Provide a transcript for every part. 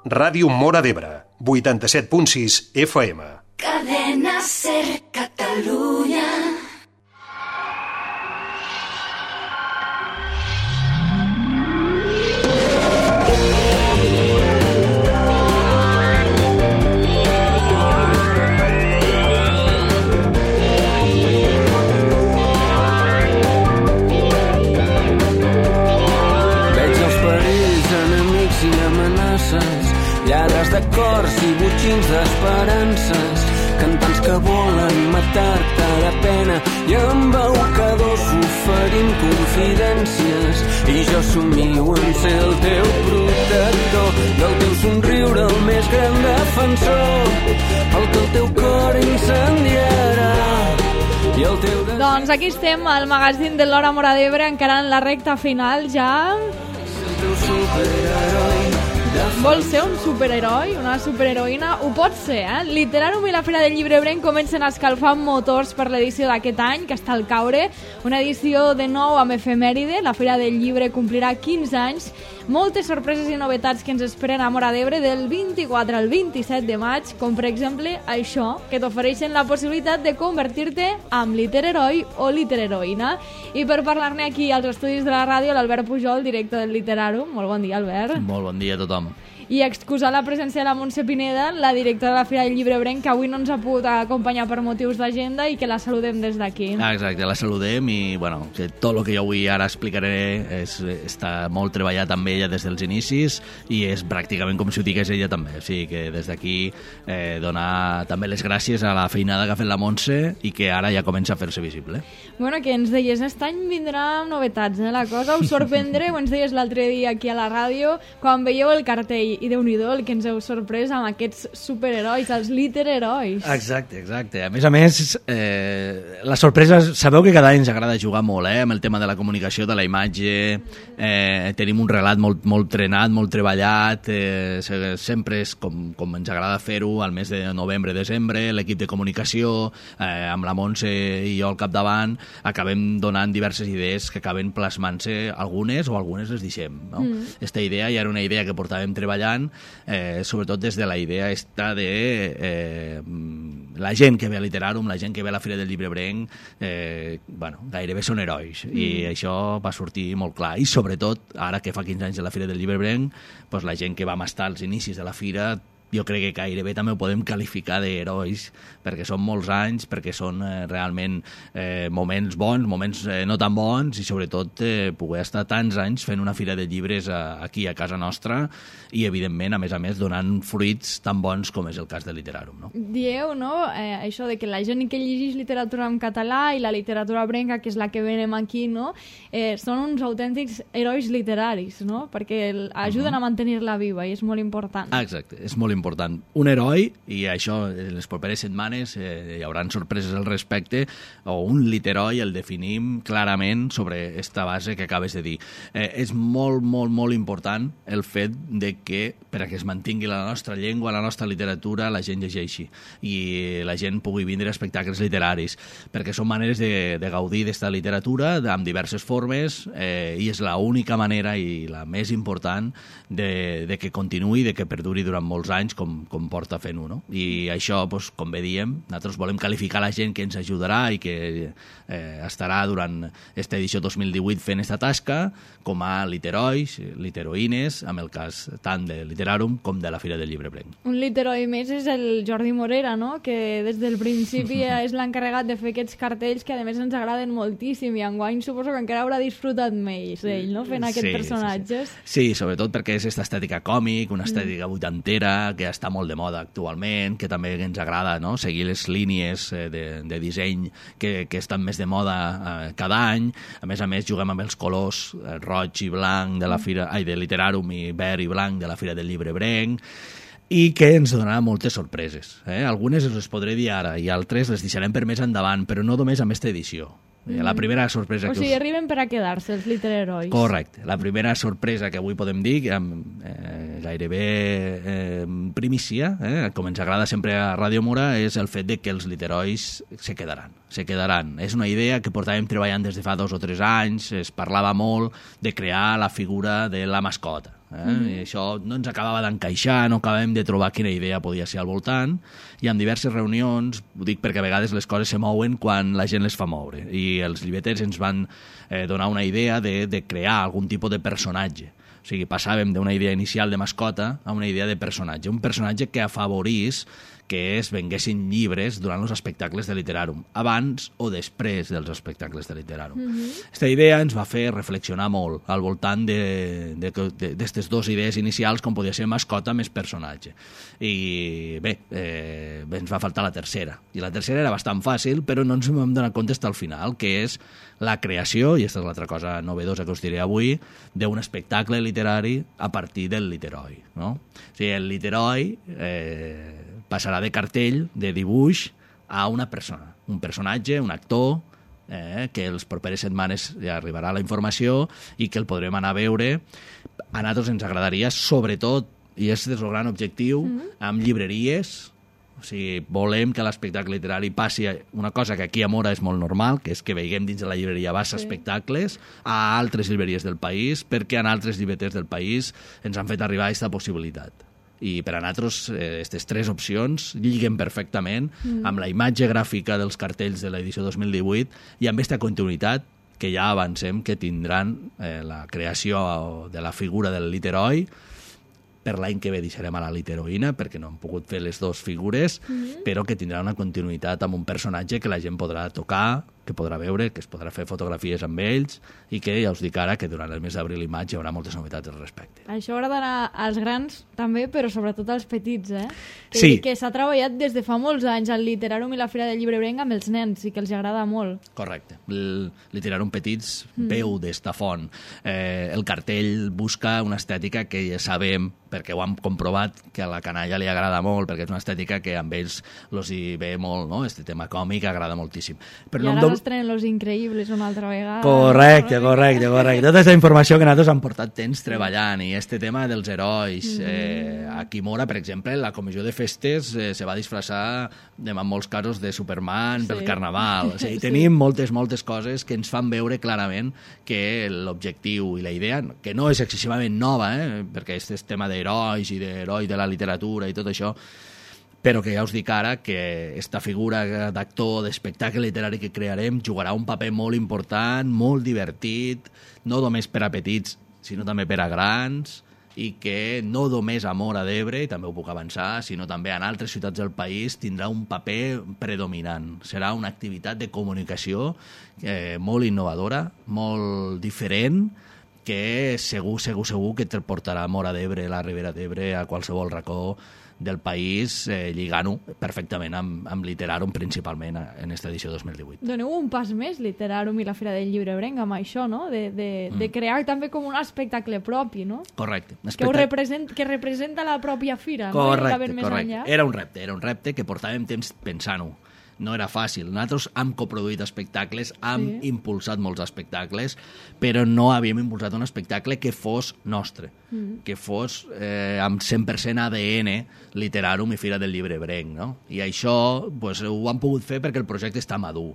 Ràdio Móra d'Ebre, 87.6 FM. Cadena Ser Catalunya. Lladres de cors i botxins d'esperances, cantants que volen matar-te de pena i embaucadors oferint confidències. I jo somio en ser el teu protector, del teu somriure el més gran defensor, el que el teu cor incendiarà. Doncs aquí estem al magazín de l'Hora Móra d'Ebre, encarant la recta final ja. El teu superheroi. Vols ser un superheroi, una superheroïna? Ho pots ser, eh? Literàrum i la Fira del Llibre Ebrenc comencen a escalfar motors per l'edició d'aquest any, que està al caure. Una edició de nou amb efemèride. La Fira del Llibre complirà 15 anys. Moltes sorpreses i novetats que ens esperen a Móra d'Ebre del 24 al 27 de maig, com per exemple això, que t'ofereixen la possibilitat de convertir-te en literheroi o literheroïna. I per parlar-ne aquí als estudis de la ràdio, l'Albert Pujol, director del Literàrum. Molt bon dia, Albert. Molt bon dia a tothom. I excusar la presència de la Montse Pineda, la directora de la Fira del Llibre Ebrenc, que avui no ens ha pogut acompanyar per motius d'agenda i que la saludem des d'aquí. Exacte, la saludem i bueno, tot el que jo avui ara explicaré està molt treballat amb ella des dels inicis i és pràcticament com si ho digués ella també. O sigui que des d'aquí donar també les gràcies a la feinada que ha fet la Montse i que ara ja comença a fer-se visible. Bueno, que ens deies, aquest any vindrà novetats, la cosa us sorprendreu, ens deies l'altre dia aquí a la ràdio, quan veieu el cartell, i Déu-n'hi-do el que ens heu sorprès amb aquests superherois, els literherois. Exacte. A més, la sorpresa, sabeu que cada any ens agrada jugar molt amb el tema de la comunicació, de la imatge, tenim un relat molt trenat, molt treballat, sempre és com ens agrada fer-ho al mes de novembre-desembre, l'equip de comunicació, amb la Montse i jo al capdavant, acabem donant diverses idees que acaben plasmant-se, algunes les deixem. No? Esta idea ja era una idea que portàvem treballant, sobretot des de la idea esta de la gent que ve a Literàrum, la gent que ve a la Fira del Llibre Ebrenc, gairebé són herois, i això va sortir molt clar. I sobretot, ara que fa 15 anys de la Fira del Llibre Ebrenc, la gent que vam estar als inicis de la Fira, jo crec que gairebé també ho podem qualificar d'herois, perquè són molts anys, perquè són realment moments bons, moments no tan bons, i sobretot poder estar tants anys fent una fira de llibres aquí a casa nostra i, evidentment, a més, donant fruits tan bons com és el cas de Literàrum. No? Dieu, no?, això de que la gent que llegeix literatura en català i la literatura ebrenca, que és la que venem aquí, no?, són uns autèntics herois literaris, no?, perquè ajuden a mantenir-la viva i és molt important. Exacte, és molt important. Un heroi, i això en les properes setmanes hi haurà sorpreses al respecte, o un literoi el definim clarament sobre esta base que acabes de dir. És molt, molt, molt important el fet de que perquè es mantingui la nostra llengua, la nostra literatura, la gent llegeixi i la gent pugui vindre a espectacles literaris, perquè són maneres de gaudir d'esta literatura amb diverses formes i és l'única manera i la més important de que continuï, de que perduri durant molts anys com porta fent-ho, no? I això, com bé diem, nosaltres volem qualificar la gent que ens ajudarà i que estarà durant aquesta edició 2018 fent aquesta tasca com a literois, literoïnes, amb el cas tant de Literàrum com de la Fira del Llibre Ebrenc. Un literoi més és el Jordi Morera, no?, que des del principi és l'encarregat de fer aquests cartells que a més ens agraden moltíssim i enguany suposo que encara haurà disfrutat més ell, no?, fent aquests personatges. Sí, sobretot perquè és aquesta estètica còmic, una estètica vuitantera que està molt de moda actualment, que també ens agrada, no?, seguir les línies de disseny que estan més de moda cada any. A més, juguem amb els colors roig i blanc de la Fira, de Literàrum, i verd i blanc de la Fira del Llibre Ebrenc, i que ens donarà moltes sorpreses. Algunes les podré dir ara i altres les deixarem per més endavant, però no només amb aquesta edició. La primera sorpresa que arriben per a quedar-se, els literherois. Correcte. La primera sorpresa que avui podem dir, gairebé primícia, com ens agrada sempre a Ràdio Móra, és el fet de que els literherois se quedaran. És una idea que portàvem treballant des de fa 2 o 3 anys, es parlava molt de crear la figura de la mascota. I això no ens acabava d'encaixar, no acabàvem de trobar quina idea podia ser al voltant, i en diverses reunions, ho dic perquè a vegades les coses se mouen quan la gent les fa moure, i els llibreters ens van donar una idea de crear algun tipus de personatge. O sigui, passàvem d'una idea inicial de mascota a una idea de personatge. Un personatge que afavorís que es venguessin llibres durant els espectacles de Literarum, abans o després dels espectacles de Literarum. Aquesta idea ens va fer reflexionar molt al voltant d'aquestes dues idees inicials, com podia ser mascota més personatge. I bé, ens va faltar la tercera. I la tercera era bastant fàcil, però no ens vam donar compte fins al final, que és la creació, i aquesta és l'altra cosa novedosa que us diré avui, d'un espectacle literari a partir del literoi. No? O sigui, el literoi passarà de cartell, de dibuix, a una persona. Un personatge, un actor, que les properes setmanes ja arribarà la informació i que el podrem anar a veure. A nosaltres ens agradaria, sobretot, i és el gran objectiu, amb llibreries. O sigui, volem que l'espectacle literari passi a una cosa que aquí a Mora és molt normal, que és que veiem dins de la llibreria Bassa espectacles a altres llibreries del país, perquè en altres llibreters del país ens han fet arribar aquesta possibilitat. I per a nosaltres aquestes tres opcions lliguen perfectament amb la imatge gràfica dels cartells de l'edició 2018 i amb aquesta continuïtat que ja avancem que tindran la creació de la figura del literoi. Per l'any que ve deixarem a la literoïna perquè no hem pogut fer les dues figures, però que tindrà una continuïtat amb un personatge que la gent podrà tocar, que podrà veure, que es podrà fer fotografies amb ells i que ja us dic ara que durant el mes d'abril i maig hi haurà moltes novetats al respecte. Això agradarà als grans també, però sobretot als petits, Sí. Que s'ha treballat des de fa molts anys al Literarum i la Fira del Llibrebrenc amb els nens i que els agrada molt. Correcte. El Literarum Petits veu d'esta font. El cartell busca una estètica que ja sabem, perquè ho hem comprovat, que a la canalla li agrada molt, perquè és una estètica que amb ells els hi ve molt, no? Este tema còmic agrada moltíssim. Però I ara estrenen Los Increïbles una altra vegada. Correcte. Tota aquesta informació que nosaltres hem portat temps treballant i este tema dels herois. Aquí a Mora, per exemple, la comissió de festes se va disfressar en molts casos de Superman pel Carnaval. O sigui, tenim moltes coses que ens fan veure clarament que l'objectiu i la idea, que no és excessivament nova, perquè este és tema d'herois i d'heroi de la literatura i tot això, però que ja us dic ara que aquesta figura d'actor, d'espectacle literari que crearem jugarà un paper molt important, molt divertit, no només per a petits, sinó també per a grans, i que no només a Móra d'Ebre, i també ho puc avançar, sinó també en altres ciutats del país tindrà un paper predominant. Serà una activitat de comunicació molt innovadora, molt diferent, que segur que te portarà a Móra d'Ebre, la Ribera d'Ebre, a qualsevol racó del país, lligant-ho perfectament amb Literarum, principalment en aquesta edició 2018. Doneu un pas més, Literarum i la Fira del Llibrebrenc, amb això, no? De crear també com un espectacle propi, no? Correcte. Que representa la pròpia fira. Correcte. Era un repte que portàvem temps pensant-ho. No era fàcil. Nosaltres hem coproduït espectacles, hem impulsat molts espectacles, però no havíem impulsat un espectacle que fos nostre, que fos amb 100% ADN Literarum i Fira del Llibrebrenc, no? I això pues, ho hem pogut fer perquè el projecte està madur.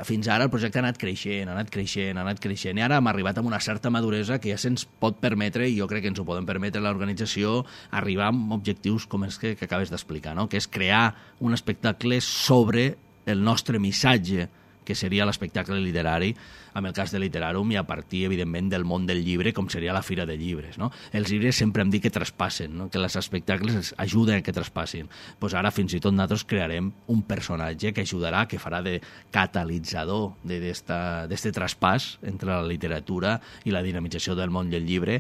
Fins ara el projecte ha anat creixent, i ara hem arribat a una certa maduresa que ja se'ns pot permetre, i jo crec que ens ho podem permetre l'organització, arribar amb objectius com els que acabes d'explicar, no? Que és crear un espectacle sobre el nostre missatge, que seria l'espectacle literari, en el cas de Literarum, i a partir, evidentment, del món del llibre, com seria la Fira de Llibres. No? Els llibres sempre hem dit que traspassen, no? Que els espectacles ajuden a que traspassin. Pues ara, fins i tot, nosaltres crearem un personatge que ajudarà, que farà de catalitzador d'este traspàs entre la literatura i la dinamització del món del llibre,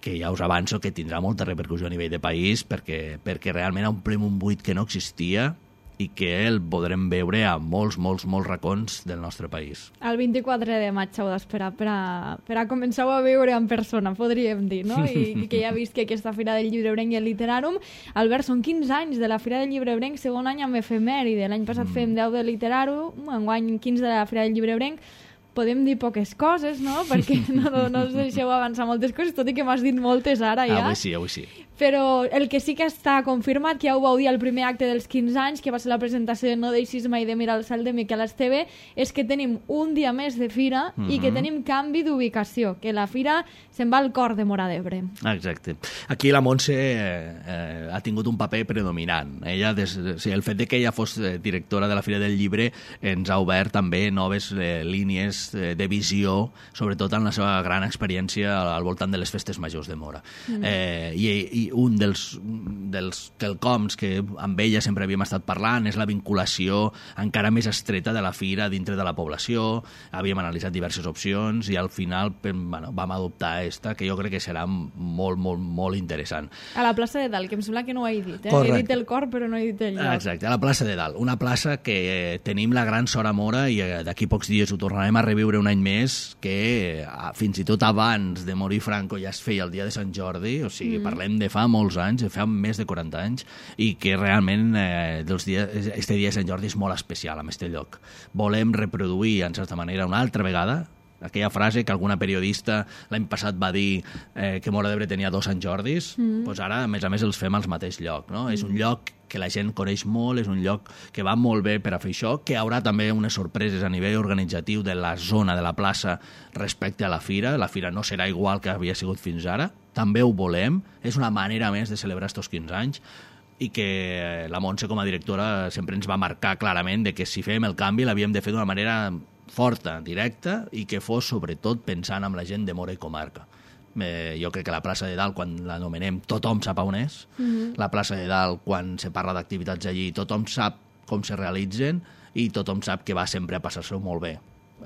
que ja us avanço que tindrà molta repercussió a nivell de país, perquè realment omplem un buit que no existia i que el podrem veure a molts racons del nostre país. El 24 de maig heu d'esperar per a començar a veure en persona, podríem dir, no? I que ja he vist que aquesta Fira del Llibrebrenc i el Literarum, Albert, són 15 anys de la Fira del Llibrebrenc, segon any amb efemèride. L'any passat fem 10 de Literarum, enguany 15 de la Fira del Llibrebrenc. Podem dir poques coses, no? Perquè no us deixeu avançar moltes coses, tot i que m'has dit moltes ara ja. Avui sí. Però el que sí que està confirmat, que ja ho vau dir al primer acte dels 15 anys, que va ser la presentació de No deixis mai de mirar el cel de Miquel Esteve, és que tenim un dia més de fira i que tenim canvi d'ubicació, que la fira se'n va al cor de Móra d'Ebre. Exacte. Aquí la Montse ha tingut un paper predominant. Ella, el fet de que ella fos directora de la Fira del Llibre ens ha obert també noves línies de visió, sobretot en la seva gran experiència al voltant de les festes majors de Móra. I un dels quelcoms que amb ella sempre havíem estat parlant és la vinculació encara més estreta de la fira dintre de la població. Havíem analitzat diverses opcions i al final vam adoptar esta, que jo crec que serà molt, molt, molt interessant. A la plaça de Dalt, que em sembla que no ho he dit. Correcte. He dit el cor, però no he dit el lloc. Exacte, a la plaça de Dalt. Una plaça que tenim la gran sort a Móra i d'aquí pocs dies ho tornarem a reviure un any més, que fins i tot abans de morir Franco ja es feia el dia de Sant Jordi, o sigui, parlem de fa molts anys, fa més de 40 anys, i que realment este dia de Sant Jordi és molt especial en este lloc. Volem reproduir, en certa manera, una altra vegada aquella frase que alguna periodista l'any passat va dir que Móra d'Ebre tenia 2 Sant Jordis, doncs ara, a més els fem al mateix lloc. No? És un lloc que la gent coneix molt, és un lloc que va molt bé per a fer això, que haurà també unes sorpreses a nivell organitzatiu de la zona de la plaça respecte a la fira. La fira no serà igual que havia sigut fins ara, també ho volem, és una manera més de celebrar estos 15 anys, i que la Montse com a directora sempre ens va marcar clarament de que si fem el canvi l'havíem de fer d'una manera forta, directa, i que fos sobretot pensant en la gent de Móra i comarca. Jo crec que la plaça de Dalt, quan l'anomenem, tothom sap on és. La plaça de Dalt, quan se parla d'activitats allí, tothom sap com se realitzen i tothom sap que va sempre a passar-se-ho molt bé.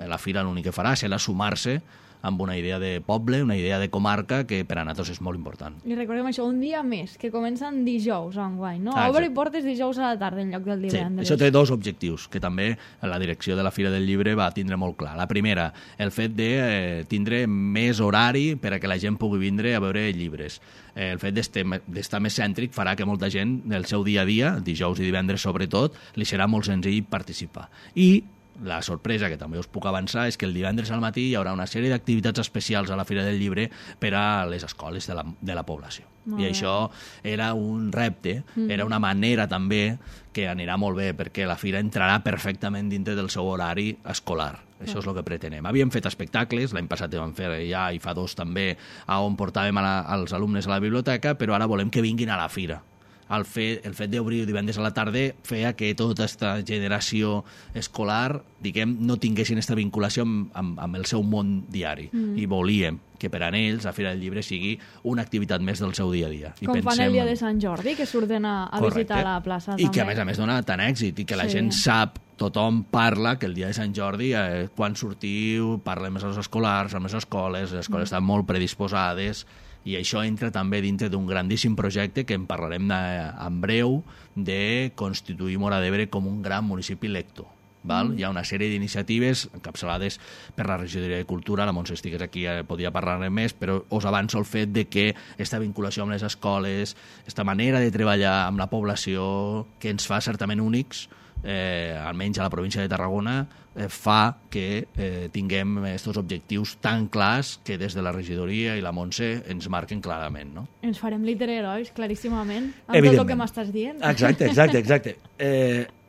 La fira l'únic que farà serà sumar-se amb una idea de poble, una idea de comarca, que per a nosaltres és molt important. I recordem això, un dia més, que comencen dijous enguany, no? Exacte. Obre portes dijous a la tarda en lloc del divendres. Sí, això té 2 objectius, que també la direcció de la Fira del Llibre va tindre molt clar. La primera, el fet de tindre més horari per a que la gent pugui vindre a veure llibres. El fet d'estar més cèntric farà que molta gent, el seu dia a dia, dijous i divendres sobretot, li serà molt senzill participar. I la sorpresa, que també us puc avançar, és que el divendres al matí hi haurà una sèrie d'activitats especials a la Fira del Llibre per a les escoles de la població. I això era un repte, era una manera també que anirà molt bé, perquè la fira entrarà perfectament dintre del seu horari escolar. Això és el que pretenem. Havíem fet espectacles, l'any passat vam fer ja, i fa 2 també, on portàvem als alumnes a la biblioteca, però ara volem que vinguin a la fira. El fet d'obrir divendres a la tarda feia que tota aquesta generació escolar, diguem, no tinguessin aquesta vinculació amb el seu món diari. I volíem que per a ells la Fira del Llibre sigui una activitat més del seu dia a dia. Com fan el dia de Sant Jordi, que surten a visitar la plaça també. I que a més dona tant èxit, i que la gent sap, tothom parla que el dia de Sant Jordi, quan sortiu, parlem amb els escolars, amb les escoles estan molt predisposades, i això entra també dintre d'un grandíssim projecte que en parlarem en breu, de constituir Móra d'Ebre com un gran municipi lector. Hi ha una sèrie d'iniciatives encapçalades per la regidoria de Cultura. La Montse estigués aquí, podria parlar-ne més, però us avanço el fet de que aquesta vinculació amb les escoles, aquesta manera de treballar amb la població, que ens fa certament únics, almenys a la província de Tarragona, fa que tinguem aquests objectius tan clars que des de la regidoria i la Montse ens marquen clarament. No? Ens farem literherois, claríssimament, amb tot el que m'estàs dient. Exacte.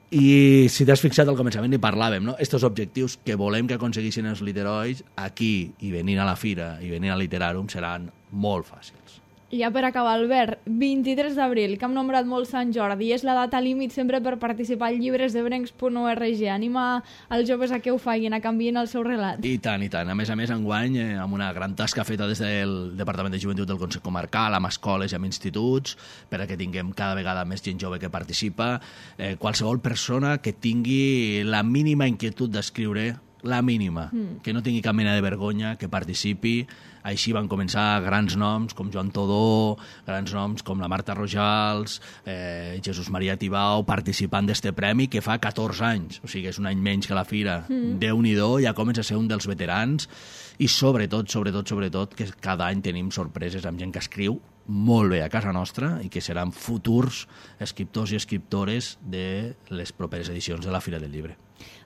I si t'has fixat al començament hi parlàvem, no? Estos objectius que volem que aconseguissin els literherois aquí i venint a la fira i venint a Literàrum seran molt fàcils. I ja per acabar, Albert, 23 d'abril, que hem nombrat molt Sant Jordi, és la data límit sempre per participar al llibresdebrencs.org. Anima els joves a que ho facin, a canviïn el seu relat. I tant. A més, enguany, amb una gran tasca feta des del Departament de Joventut del Consell Comarcal, amb escoles i amb instituts, per a que tinguem cada vegada més gent jove que participa. Qualsevol persona que tingui la mínima inquietud d'escriure, la mínima, que no tingui cap mena de vergonya, que participi. Així van començar grans noms com Joan Todó, grans noms com la Marta Rojals, Jesús Maria Tibau, participant d'este premi que fa 14 anys, o sigui, és un any menys que la fira. Déu-n'hi-do, ja comença a ser un dels veterans, i sobretot, que cada any tenim sorpreses amb gent que escriu molt bé a casa nostra i que seran futurs escriptors i escriptores de les properes edicions de la Fira del Llibre.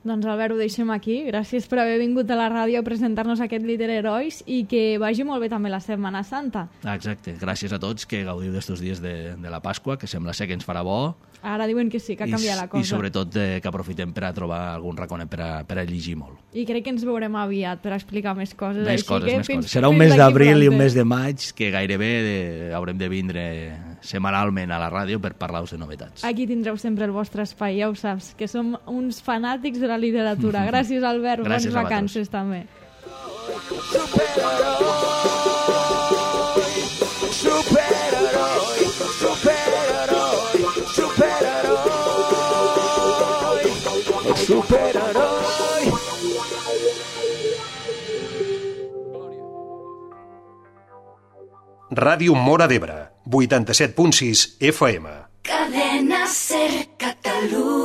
Doncs Albert, ho deixem aquí. Gràcies per haver vingut a la ràdio a presentar-nos aquest Litererois i que vagi molt bé també la Setmana Santa. Exacte, gràcies a tots, que gaudiu d'estos dies de la Pasqua, que sembla ser que ens farà bo. Ara diuen que sí, que ha canviat la cosa. I sobretot que aprofitem per a trobar algun raconet per a llegir molt. I crec que ens veurem aviat per explicar més coses. Més coses. Serà un mes d'abril i un mes de maig que gairebé haurem de vindre setmanalment a la ràdio per parlar-vos de novetats. Aquí tindreu sempre el vostre espai, ja ho saps, que som uns fanàtics de la literatura. Gràcies, Albert. Gràcies, bones vacances també. Superheroi. Ràdio Móra d'Ebre, 87.6 FM. Cadena Ser Catalunya.